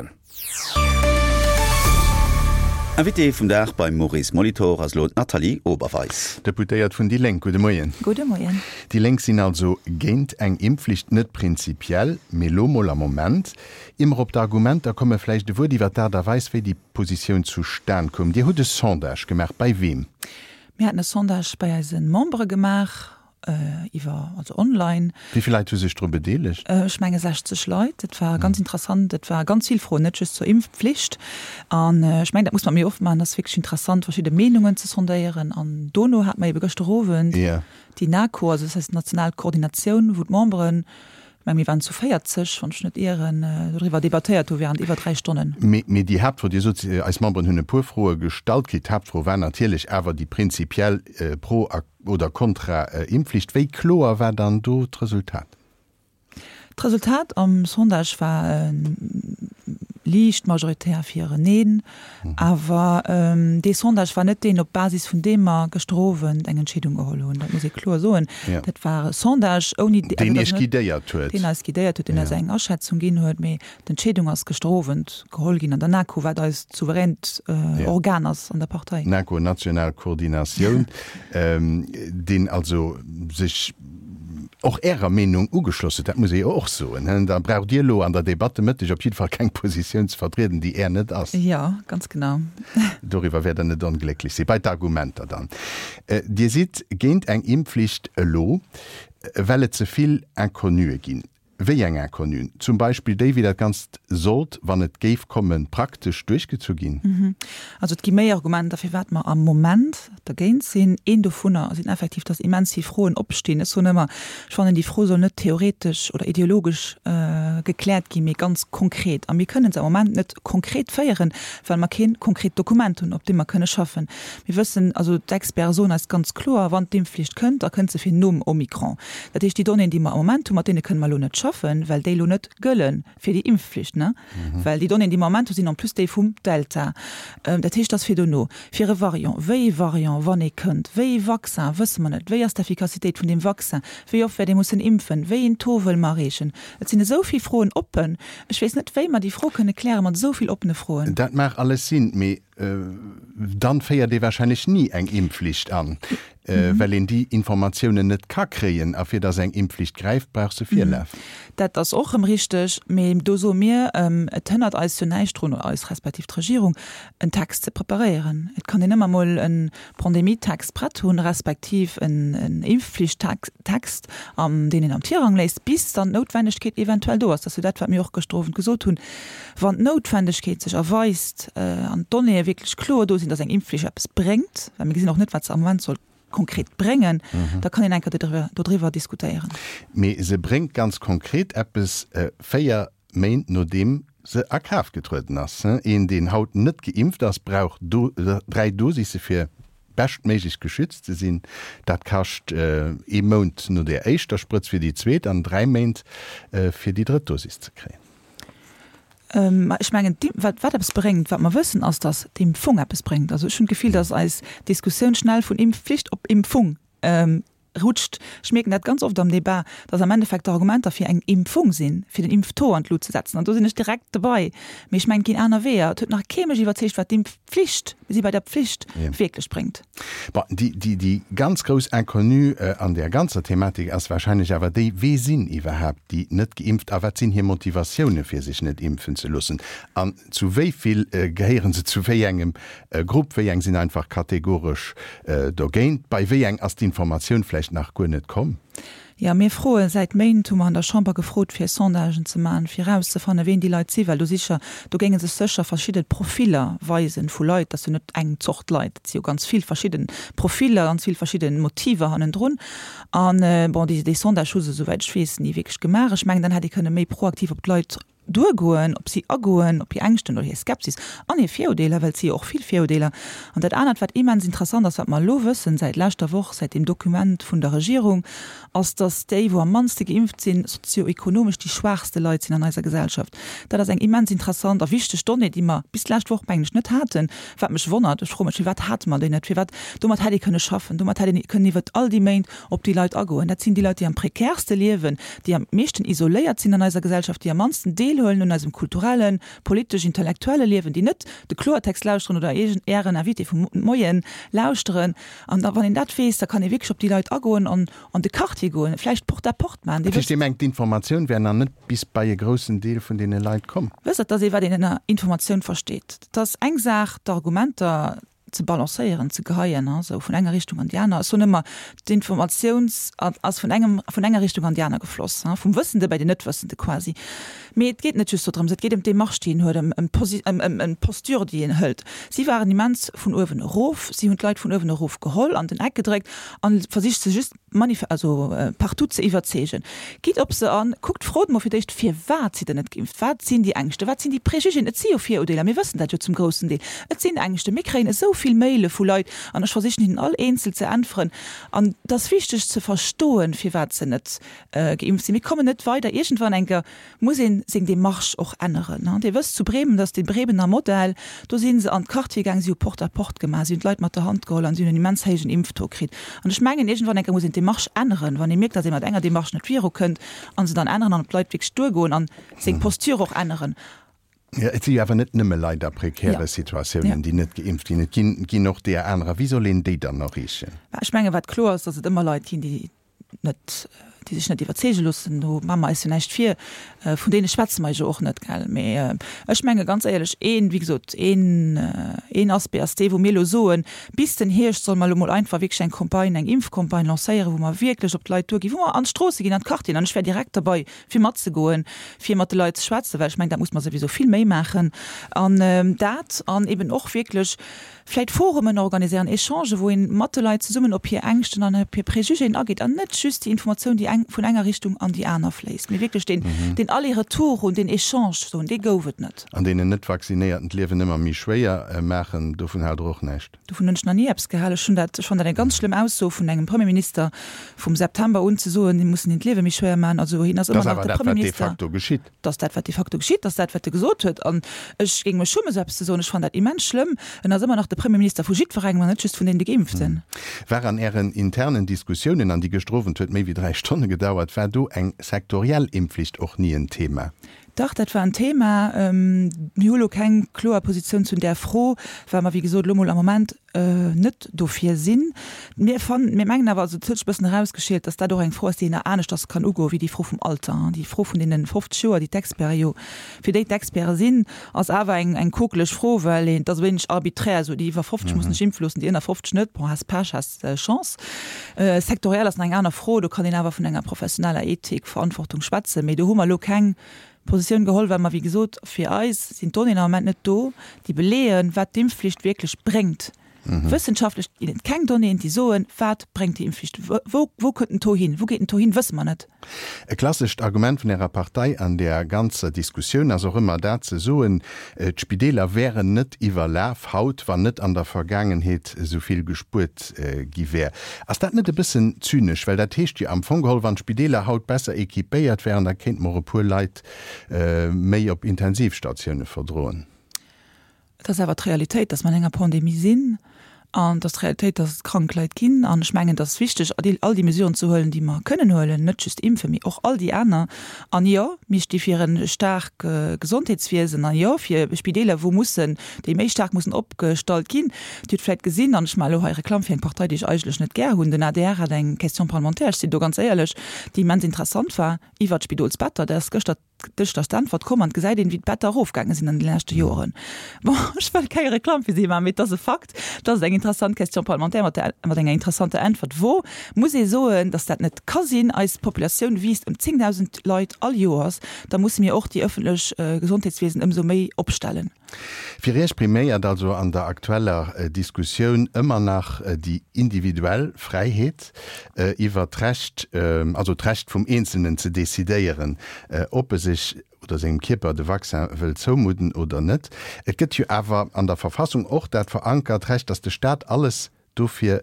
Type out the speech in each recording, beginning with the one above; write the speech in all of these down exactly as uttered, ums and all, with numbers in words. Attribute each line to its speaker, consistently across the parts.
Speaker 1: goen. Invitée vum Dag beim Maurice Molitor ass elo d'Nathalie Oberweis.
Speaker 2: Deputéiert vun déi Lénk. Gudde Moien.
Speaker 3: Gudde Moien.
Speaker 2: Déi Lénk sinn also géint eng Impfflicht, net prinzipiell, mee lo mol am Moment. Ier mer op d'Argumenter kommen, vläicht e Wuert iwwer d'Aart a Weis, wéi déi Positioun zustan koum. Dir hutt e Sondage gemaach. Bei weem?
Speaker 3: Mir haten e Sondage bei eise Membere gemaach, iwwer, also online.
Speaker 2: Wéi vill Leit hu sech dru bedeelegt?
Speaker 3: Ech menge sechzeg Leit. Et war ganz interessant. Et war ganz vill Froen, net just zur Impfpflicht. An ech mengen, dat muss mer méi oft maachen. Et ass wierklech interessant, verschidde Meenungen ze sondéieren. An dono hate mer ebe gëschter Owend déi NaKo, also dat heescht d'national Koordinatioun, wou d'Memberen, ech menge mir waren zu véierzeg, wann ech net ieren, doriwwer debattéiert hu während iwwer dräi Stonnen.
Speaker 2: Mee, mee déi Haaptfro, Dir sot, eis Memberen hunn e puer Froe gestallt kritt, d'Haaptfro war natierlech awer déi prinzipiell pro a oder kontra Impfflicht. Wéi kloer war dann do d'Resultat?
Speaker 3: D'Resultat am Sondage war liicht majoritär fir en Neen. Awer dee Sondage war net deen, op Basis vun deem mer gëschter Owend eng Entscheedung geholl hunn. Dat muss ee kloer soen. Dat war e Sondage ouni.
Speaker 2: Deen Iech guidéiert huet.
Speaker 3: Deen eis guidéiert huet, deen eis eng Aschätzung ginn huet. Mee d'Entscheedung ass gëschter Owend geholl ginn an der NaKo, wat eist souveränt Organ ass an der Partei.
Speaker 2: NaKo, National Koordinatioun, deen also sech och Ärer Meenung ugeschloss huet, dat muss ee jo och soen. Da braucht Dir elo an der Debatt de Mëtteg op jidde Fall keng Positioun ze vertrieden, déi Är net ass.
Speaker 3: Jo, ganz genau.
Speaker 2: Doriwwer wäert Der net onglécklech sinn. Bei d'Argumenter dann. Dir sidd géint eng Impfflicht elo, well et ze vill Inconnuë ginn. Wéi eng Inconnuen? Zum Beispill déi, wéi dat Ganzt sollt, wann et géif kommen, praktesch duerchgezu ginn?
Speaker 3: Also et gi méi Argumenter, firwat mer am Moment dergéint sinn. Een dovunner sinn effektiv, dass immens vill Froen opstinn. Ech soen ëmmer, ech fannen, déi Fro soll net theoretesch oder ideologesch gekläert ginn, mee ganz konkret. A mir kënnen se am Moment net konkret féieren, well mer kee konkret Dokument hunn, op deem mer kënne schaffen. Mir wëssen, also d'Experte soen eis ganz kloer, wann d'Impfflicht kënnt, da kënnt se fir nom Omikron. Dat heescht, déi Donnéeën, déi mer am Moment hunn, mat deene kënne mer elo net schaffen, well déi elo net gëlle fir déi Impfflicht, ne? Well déi Donnéeën, déi mer am Moment hunn, sinn en plus déi vum Delta. Dat heescht, dass fir dono, fir e Variant, wéi ee Variant, wann ee kënnt, wéi ee Vaccin, wësse mer net, wéi ass d'Effikassitéit vun deem Vaccin, wéi oft wäert ee mussen impfen, wéi een Taux wëlle mer erreechen? Et sinn esou vill Froen oppen. Ech weess net, wéi mer déi Fro kënne kläre mat esou vill oppene Froen.
Speaker 2: Dat mag alles sinn, mee dann féiert ee wahrscheinlech ni eng Impfflicht an, well een déi Informatiounen net ka kréien. A fir dass eng Impfflicht gräift, brauch se Virlaf.
Speaker 3: Dat ass och erëm richteg, mee do soe mir, et hënnert eis jo näischt drun, eis respektiv d'Regierung, en Text ze preparéieren. Et kann een ëmmer mol e Pandemietext prett hunn, respektiv en Impfflichttext, deen een am Tirang léisst, bis dann d'Noutwendegkeet eventuell do ass. Dat ass jo dat, wat mir och gëschter Owend gesot hunn. Wann d'Noutwendegkeet sech erweist an d'Donnéeë wierklech kloer do sinn, dass eng Impfflicht eppes bréngt, well mir gesinn och net, wat se am Moment soll konkret bréngen, da kann een eng Kéier dodriwwer diskutéieren.
Speaker 2: Mee se bréngt ganz konkret eppes, véier Méint nodeem se a Kraaft getrueden ass. Een, deen haut net geimpft ass, brauch dräi Dosisse fir beschtméiglech geschützt ze sinn. Dat kascht ee Mount no der éischter Sprëtz fir déi zweet an dräi Méint fir déi drëtt Dosis ze kréien.
Speaker 3: Mä ech mengen, wat wat eppes bréngt, wat mer wëssen, ass, datt d'Impfung eppes bréngt. Also ech hunn d'Gefill, datt eis Diskussioun schnell vun Impfflicht op Impfung rutscht. Ech mierken dat ganz oft am Debat, datt am Endeffekt d'Argumenter fir eng Impfung sinn, fir den Impftaux an d'Lut ze setzen. An do sinn ech direkt dobei. Mee ech mengen, et ginn aner Weeër. Et huet nach kee mech iwwerzeegt, wat d'Impfflicht, mir si bei der Pflicht, wierklech bréngt.
Speaker 2: Bon, déi, déi, déi ganz grouss Inconnue an där ganzer Thematik ass wahrscheinlech awer déi, Wee sinn iwwerhaapt déi Net-Geimpft a wat sinn hir Motivatioune fir sech net impfen ze loossen? An zu wéi vill gehéiere se zu wéi engem Grupp? Wéi eng sinn einfach kategoresch dogéint? Bei wéi eng ass d'Informatioun vläicht nach guer net komm?
Speaker 3: Jo, mir froe säit Méint, hu mer an der Chamber gefrot, fir Sondagen ze maachen, fir erauszefannen, ween déi Leit sinn, well do sicher, do géinge sech sécher verschidde Profiller weisen vu Leit. Dat ass jo net eng Zort Leit, dat si jo ganz vill verschidde Profiller, ganz vill verschidde Motiver hannendrun. An, bon, déi, déi Sondage hu se, souwäit ech weess, ni wierklech gemaach. Ech mengen, dann hätt ee kënne méi proaktiv op d'Leit duergoen, op si agoen, op hir Ängschten oder hir Skepsis an hir Virudeeler, well et si jo och vill Virudeeler. An dat anert, wat immens interessant ass, wat mer elo wëssen säit leschter Woch, säit deem Dokument vun der Regierung, ass, dass déi, wou am mannste geimpft sinn, sozioekonomesch déi schwaachste Leit sinn an eiser Gesellschaft. Dat ass eng immens interessant a wichteg Donnée, déi mer bis d'lescht Woch, mengen ech, net haten, wat mech wonnert. Ech froe mech, Firwat hate mer déi net? Firwat? Domat hätt ee kënne schaffen, domat hätt ee kënnen iwwert all déi Méint op déi Leit agoen. Dat sinn déi Leit, déi am prekärste liewen, déi am meeschten isoléiert sinn an eiser Gesellschaft, déi am mannsten Deel deelhuelen un eisem kulturellen, politesch, intellektuelle Liewen, déi net de Kloertext lauschteren oder Ären Invité vum Moien lauschteren. An da wann een dat weess, da kann ee wierklech op déi Leit agoen an an de Quartier goen, vläicht Porte à porte maachen.
Speaker 2: Dat heescht, Dir mengt, d'Informatioun wär nach net bis bei e groussen Deel vun deene Leit komm?
Speaker 3: Wësst Der, et ass ee wat een ënner Informatioun versteet. Et ass eng Saach, d'Argumenter ze balancéieren, ze geheien, esou vun enger Richtung an déi aner. Ech soen ëmmer, d'Informatiouns ass vun engem, vun enger Richtung an déi aner gefloss, vum Wëssende bei den Net-Wëssende quasi. Mee et geet net just dodrëms, et geet ëm d'Demarche, déi een huet, ëm ëm d'Posture, déi een hëlt. Si waren immens vun uewen erof, si hunn d'Leit vun uewen erof geholl, an den Eck gedréckt a versicht se just manif also partout ze iwwerzeegen. Gitt op se an, kuckt, frot mol fir d'éischt, firwat sidd der net geimpft, wat sinn déi Ängschte, wat sinn déi Préjugéen, et si jo Viruerdeeler, mir wëssen dat jo zum groussen Deel, et sinn Ängschten, mir kréien esou vill Maile vu Leit an ech versichen hinnen all eenzel ze äntweren an et ass wichteg ze verstoen, firwat se net geimpft sinn. Mir kommen net weider, iergendwann eng Kéier muss ee seng Démarche och änneren. Dir wësst zu Bremen, dat ass dee Bremener Modell, do si se an d'Quartiere gaang, si hu Porte à porte gemaach, si hunn d'Leit mat der Hand geholl an si hunn en immens héijen Impftaux kritt. An ech mengen, iergendwann eng Kéier muss een d'Demarche änneren, wann ee mierkt, datt ee mat enger Demarche net virukënnt, a se dann änneren an op d'Leit wierklech duergoen a seng Posture och änneren.
Speaker 2: Jo, et si jo awer net nëmme Leit a prekäre Situatiounen, déi net geimpft ginn. Et ginn, ginn och deeër anerer. Wéi soll een déi dann erreechen?
Speaker 3: Mä ech mengen, wat kloer ass, datt et ëmmer Leit ginn, déi net, déi sech net iwwerzeege loossen, do maache mer eis jo näischt vir, vun deene schwätze mer jo och net, gell. Mee ech menge ganz éierlech, een, wéi gesot, een, een Aspect ass dee wou mir elo soen, bis den Hierscht solle mer elo mol einfach wierklech eng Campagne, eng Impfcampagne lancéieren, wou mer wierklech op d'Leit duerginn, wou mer an d'Stroosse ginn, an d'Quartieren, an ech wär direkt derbei fir matzegoen, fir mat de Leit ze schwätzen, well ech mengen, dat muss mer souwisou vill méi maachen. An dat an eben och wierklech vläit Forumen organiséieren, Echangen, wou een mat de Leit zesummen op hir Ängschten an op hir Préjugéen ageet an net just déi Informatioun, déi eng vun enger Richtung an déi aner fléisst, mee wierklech deen, deen Aller-retour hunn, deen Echange hunn, dee gouf et net.
Speaker 2: An deenen Net-Vaccinéierten d'Liewen ëmmer méi schwéier maachen, dovun haalt Der och näischt?
Speaker 3: Dovun hunn ech nach ni eppes gehalen. Ech hunn dat, ech fannen dat eng ganz schlëmm Ausso vun engem Premierminister vum September un, ze soen, mir mussen hinnen d'Liewe méi schwéier maachen. Also hien ass ëmmer nach de Premierminister.
Speaker 2: Dat ass awer dat, wat de facto geschitt.
Speaker 3: Dat ass dat, wat de facto geschitt. Dat ass dat, wat e gesot huet. An ech géing mech schummen, esou eppes ze soen. Ech fannen dat immens schlëmm. En ass ëmmer nach de Premierminister vu jiddwerengem an net just vun deene Geimpften.
Speaker 2: War an Ären internen Diskussiounen, an déi gëschter Owend huet méi wéi dräi Stonne gedauert, war do eng sektoriell Impfflicht och ni en Thema?
Speaker 3: Dach, dat war en Thema. Mir hu lo keng kloer Positioun zu där Fro, well mer, wéi gesot, elo mol am Moment net dofir sinn. Mir fannen, mir mengen awer, also et huet sech e bëssen erausgeschielt, datt dat och eng Fro ass, déi een nach aneschters kann ugoen, wéi déi Fro vum Alter. Déi Fro vun deene fofzeg Joer, déi d'Experte jo, fir déi d'Experte sinn, ass awer eng, eng kokeleg Fro, well een, et ass e wéineg arbiträr, esou déi iwwer fofzeg mussen sech impfe loossen, déi ënner fofzeg net, bon, has Pech, has Chance. Sektoriell ass nach eng aner Fro, do kann een awer vun enger professioneller Ethik, Verantwortung schwätzen, mee do hu mer elo keng Positioun geholl, well mer, wéi gesot, fir eis sinn d'Donnéeën am Moment net do, déi beleeën, wat d'Impfflicht wierklech bréngt. Wëssenschaftlech ginn et keng Donnéeën, déi soen, wat bréngt déi Impfflicht, wou, wou kënnt den Taux hin, wou geet den Taux hin, wësse mer net.
Speaker 2: E klassescht Argument vun Ärer Partei an där ganzer Diskussioun ass och ëmmer dat ze soen, d'Spideeler wären net iwwerlaf haut, wann net an der Vergaangenheet esou vill gespuert gi wär. Ass dat net e bëssen zynesch? Well dat heescht jo am Fong geholl, wann d'Spideeler haut besser équipéiert wären, da kéinte mer och e puer Leit méi op Intensivstatioune verdroen.
Speaker 3: Et ass awer d'Realitéit, dass mer an enger Pandemie sinn. An et ass d'Realitéit, dass et krank Leit ginn. An ech mengen, et ass wichteg, all déi Mesuren ze huelen, déi mer kënnen huelen, net just impfen, mee och all déi aner. An jo, mir sti fir e staark Gesondheetswiesen an jo, fir Spideeler, wou mussen, déi méi staark mussen opgestallt ginn. Dir hutt vläicht gesinn, an ech maache elo hei Reklamm fir eng Partei, déi ech eigentlech net gär hunn, den adr hat eng Question parlementaire, ech sinn do ganz éierlech, déi immens interessant war iwwert d'Spidolsbetter. Dat ass gëschter Dëscht ass d'Äntwert komm an et gesäit een, wéi d'Better erofgaange sinn an de leschte Joren. Bon, ech wëll keng Reklamm fir si maachen, mee et ass e Fakt, et ass eng interessant Question parlementaire mat der, mat enger interessanter Äntwert. Wou muss ee soen, datt dat net ka sinn. Eis Populatioun wiisst ëm zéngdausend Leit all Joers, da musse mir och déi ëffentlech Gesondheetswiesen ëmsou méi opstellen.
Speaker 2: Fir Iech priméiert also an der aktueller Diskussioun ëmmer nach déi individuell Fräiheet iwwer d'Recht, also d'Recht vum Eenzelnen ze decidéieren, ob e sech oder sengem Kierper de Vaccin wëll zoumudden oder net. Et gëtt jo awer an der Verfassung och dat verankert Recht, datt de Staat alles dofir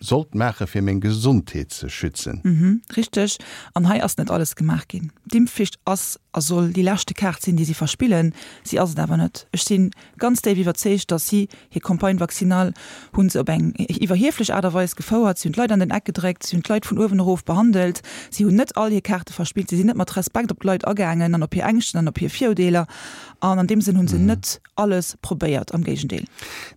Speaker 2: sollt maache fir meng Gesondheet ze schützen.
Speaker 3: Mhm, richteg. An hei ass net alles gemaach ginn. D'Impfflicht ass a soll déi leschte Kaart sinn, déi si verspillen. Si ass et awer net. Ech si ganz déif iwwerzeegt, datt si hir Campagne vaccinale hu se op eng iwwerhieflech Aart a Weis gefouert. Si hunn d'Leit an den Eck gedréckt, si hunn d'Leit vun uewen erof behandelt, si hunn net all hir Kaarte verspillt, si sinn net mat Respekt op d'Leit agaangen an op hir Ängschten an op hir Virurdeeler. An an deem Sënn hu se net alles probéiert, am Géigendeel.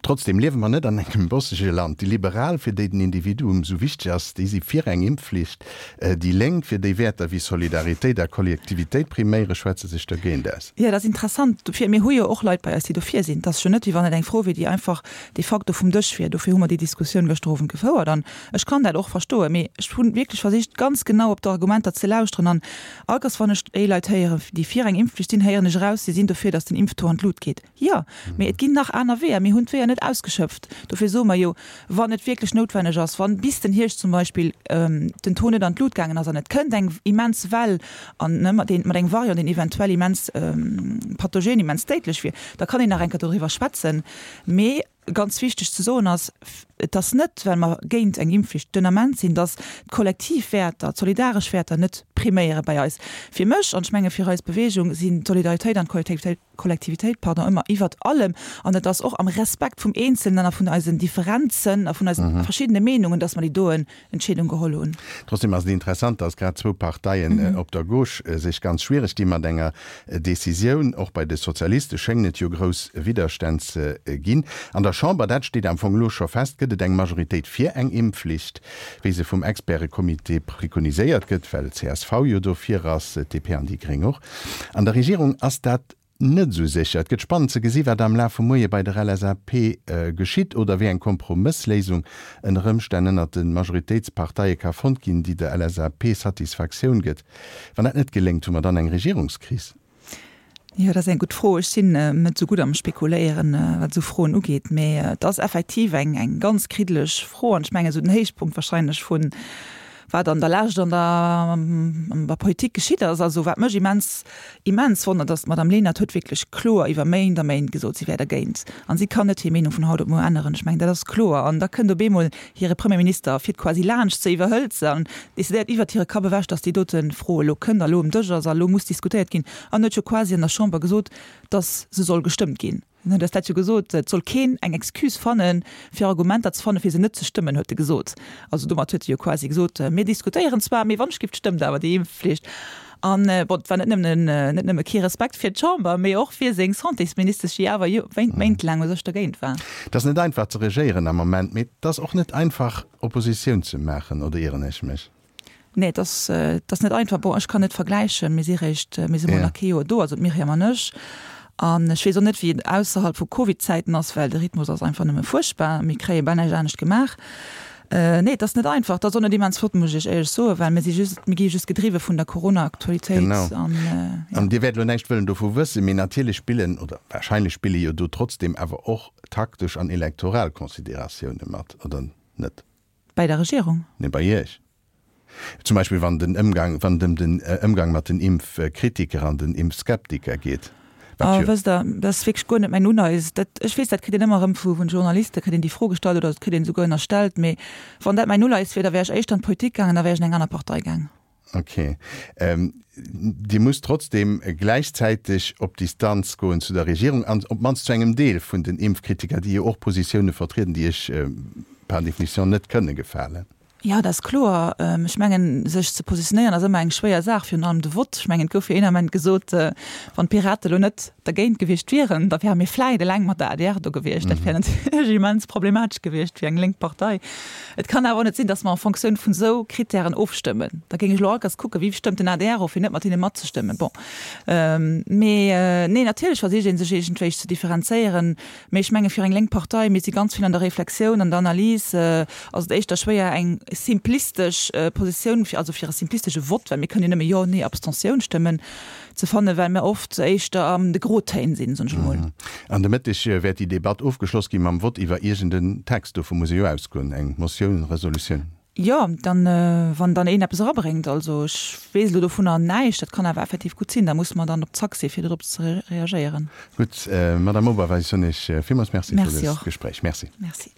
Speaker 2: Trotzdem liewe mer net an engem bossege Land. Déi Liberal, fir déi den Individuum esou wichteg ass, déi si fir eng Impfflicht. Déi Lénk, fir déi Wäerter wéi Solidaritéit a Kollektivitéit priméieren, schwätze sech dergéint aus.
Speaker 3: Jo, dat ass interessant. Dofir, mir hu jo och Leit bei eis, déi dofir sinn. Et ass jo net, wéi wann et eng Fro wier, déi einfach de facto vum Dësch wier. Dofir hu mer déi Diskussioun gëschter Owend gefouert. An ech kann dat och verstoen. Mee ech hu wierklech versicht, ganz genau op d'Argumenter ze lauschteren. An all Kéiers, wann ech déi Leit héieren, déi fir eng Impfflicht sinn, héieren ech eraus, si sinn dofir, datt den Impftaux an d'Lut geet. Jo, mee et ginn nach aner Weeër. Mir hunn d'Weeër net ausgeschöpft. Dofir soe mer jo, wann et wierklech noutwenneg ass, wann bis den Hierscht zum Beispill den Taux net an d'Lut gaangen ass an et kënnt eng immens Well an, ne, mat engem Variant, deen eventuell immens pathogen, immens déidlech wier, da kann een nach eng Kéier doriwwer schwätzen. Mee ganz wichteg ze soen ass, Et ass net, well mer géint eng Impfflicht den Ament sinn, datt d'kollektiv Wäerter, d'solidaresch Wäerter net priméiere bei eis. Fir mech, an ech menge fir eis Bewegung, sinn d'Solidaritéit an d'Kollektivitéit, pardon, ëmmer iwwert allem. An et ass och am Respekt vum Eenzelnen a vun eisen Differenzen a vun eise verschiddene Meenungen, datt mer déi doen Entscheedung geholl hunn.
Speaker 2: Trotzdem ass et interessant, datt grad zwou Parteien op der Gauche sech ganz schwiereg di mat enger Decisioun. Och bei de Sozialiste schéngen et jo grouss Widderstänn ze ginn. An der Chamber, dat steet am Fong elo scho fest, gëtt et eng Majoritéit fir eng Impfflicht, wéi se vum Experte-Comité preconiséiert gëtt, well csv jo dofir ass, d'DP an déi Gréng och. An der Regierung ass dat net esou sécher. Et gëtt spannend ze gesi wat am Laf vum Moie bei der LSAP geschitt oder wéi eng Kompromëssléisung ënner Ëmstänn ënnert de Majoritéitsparteie ka fonnt ginn, déi der LSAP Satisfaktioun gëtt. Wann dat net geléngt, hu mer dann eng Regierungskris?
Speaker 3: Jo, dat ass eng gutt Fro. Ech sinn net esou gutt am Spekuléieren, wat esou Froen ugeet. Mee et ass effektiv eng eng ganz kriddeleg Fro an ech mengen esou den Héichpunkt wahrscheinlech vun wat an der Lescht an der an der Politik geschitt ass. Also wat mech immens immens wonnert, ass, d'Madame Lenert huet wierklech kloer iwwer Méint a Méint gesot, si wär dergéint. An si kann net hir Meenung vun haut op muer änneren. Ech mengen, dat ass kloer. An da kënnt op eemol hire Premierminister a fiert quasi laanscht se, iwwerhëlt se an decidéiert iwwert hire Kapp ewech, datt déi dote Fro elo kënnt a elo um Dësch ass a elo muss diskutéiert ginn. An huet jo quasi an der Chamber gesot, datt se soll gestëmmt ginn. En huet eis dat jo gesot, et soll keen eng Excuse fannen, fir Argumenter ze fannen, fir se net ze stëmmen, huet e gesot. Also domat huet e jo quasi gesot, mir diskutéieren zwar, mee wann ech giff, stëmmt awer déi Impfflicht. An bon, et war net nëmmen, net nëmme kee Respekt fir d'Chamber, mee och fir seng Santésministesch, déi awer jo méintelaang u sech dergéint war.
Speaker 2: Et ass net einfach ze regéieren am Moment, mee et ass och net einfach Oppositioun ze maachen, oder ieren ech mech?
Speaker 3: Nee, et ass, et ass net einfach. Bon, ech kann net vergläichen, mir si réischt, mir si mol nach kee Joer do, also d'Myriam an ech. An ech weess och net, wéi et ausserhalb vu Covid-Zäiten ass, well de Rhythmus ass einfach nëmme fuerchtbar. Mir kréie bal näischt anescht gemaach. Nee, et ass net einfach. Et ass och net immens flott, muss ech Iech éierlech soen, well mir si just, mir gi just gedriwwe vun der Corona-Aktualitéit.
Speaker 2: Genau.
Speaker 3: An,
Speaker 2: jo. An Dir wäert elo näischt wëllen dovu wëssen, mee natierlech spillen, oder wahrscheinlech spille jo do trotzdem awer och taktesch an elektoral Consideratioune mat, oder net?
Speaker 3: Bäi der Regierung?
Speaker 2: Nee, bei Iech. Zum Beispill wann den Ëmgang, wann et ëm den Ëmgang mat den Impfkritiker an den Impfskeptiker geet,
Speaker 3: wat jo. Wësst Der, dat ass wierklech guer net mäin Uleies. Dat, ech weess, dat kritt een ëmmer erëm vu vun Journaliste kritt een déi Fro gestallt oder et kritt een esouguer ënnerstellt. Mee wann dat mäin Uleies wier, da wär ech éischter an d'Politik gaangen, da wär ech an eng aner Partei gaang.
Speaker 2: Ok. Dir musst trotzdem gläichzäiteg op Distanz goen zu der Regierung an op d'mannst zu engem Deel vun den Impfkritiker, déi jo och Positioune vertrieden, déi Iech par définition net kënne gefalen.
Speaker 3: Jo, dat ass kloer. Ech mengen, sech ze positionéieren ass ëmmer eng schwéier Saach, virun allem de Vott. Ech mengen, et gouf jo een Ament gesot, wann d'Pirate elo net dergéint gewiescht wieren, da wäre mir vläit eleng mat der adr do gewiescht. Dat wär natierlech immens problematesch gewiescht fir eng lénk Partei. Et kann awer och net sinn, datt mer en Fonctioun vun esou Kritären ofstëmmen. Da géing ech elo alt kucken, wéi stëmmt den adr of, fir net mat hinne matzestëmmen. Bon, mee nee, natierlech versicht ee sech iergendwéi ze differenzéieren. Mee ech menge fir eng lénk Partei, mir si ganz vill an der Reflexioun, an der Analys, ass et éischter schwéier eng simplistesch Positioun, also fir e simplistesche Vott, well mir kënnen jo nëmme Jo, Nee, Abstentioun stëmmen, ze fannen, well mir oft éischter an de Grotéin sinn, soen ech emol.
Speaker 2: An de Mëtteg wäert déi Debatt ofgeschloss gi mam Vott iwwer iergend en Text, dovu muss ee jo ausgoen, eng Motioun, Resolutioun.
Speaker 3: Jo, dann, wann dann een eppes erabréngt, also ech weess elo dovunner näischt, dat kann awer effektiv gutt sinn, da musse mer dann op Zack si fir dorop ze reagéieren.
Speaker 2: Gutt, Madame Oberweis, soen ech villmools Merci fir
Speaker 3: Merci
Speaker 2: dëst
Speaker 3: och.
Speaker 2: Gespréich. Merci.
Speaker 3: Merci.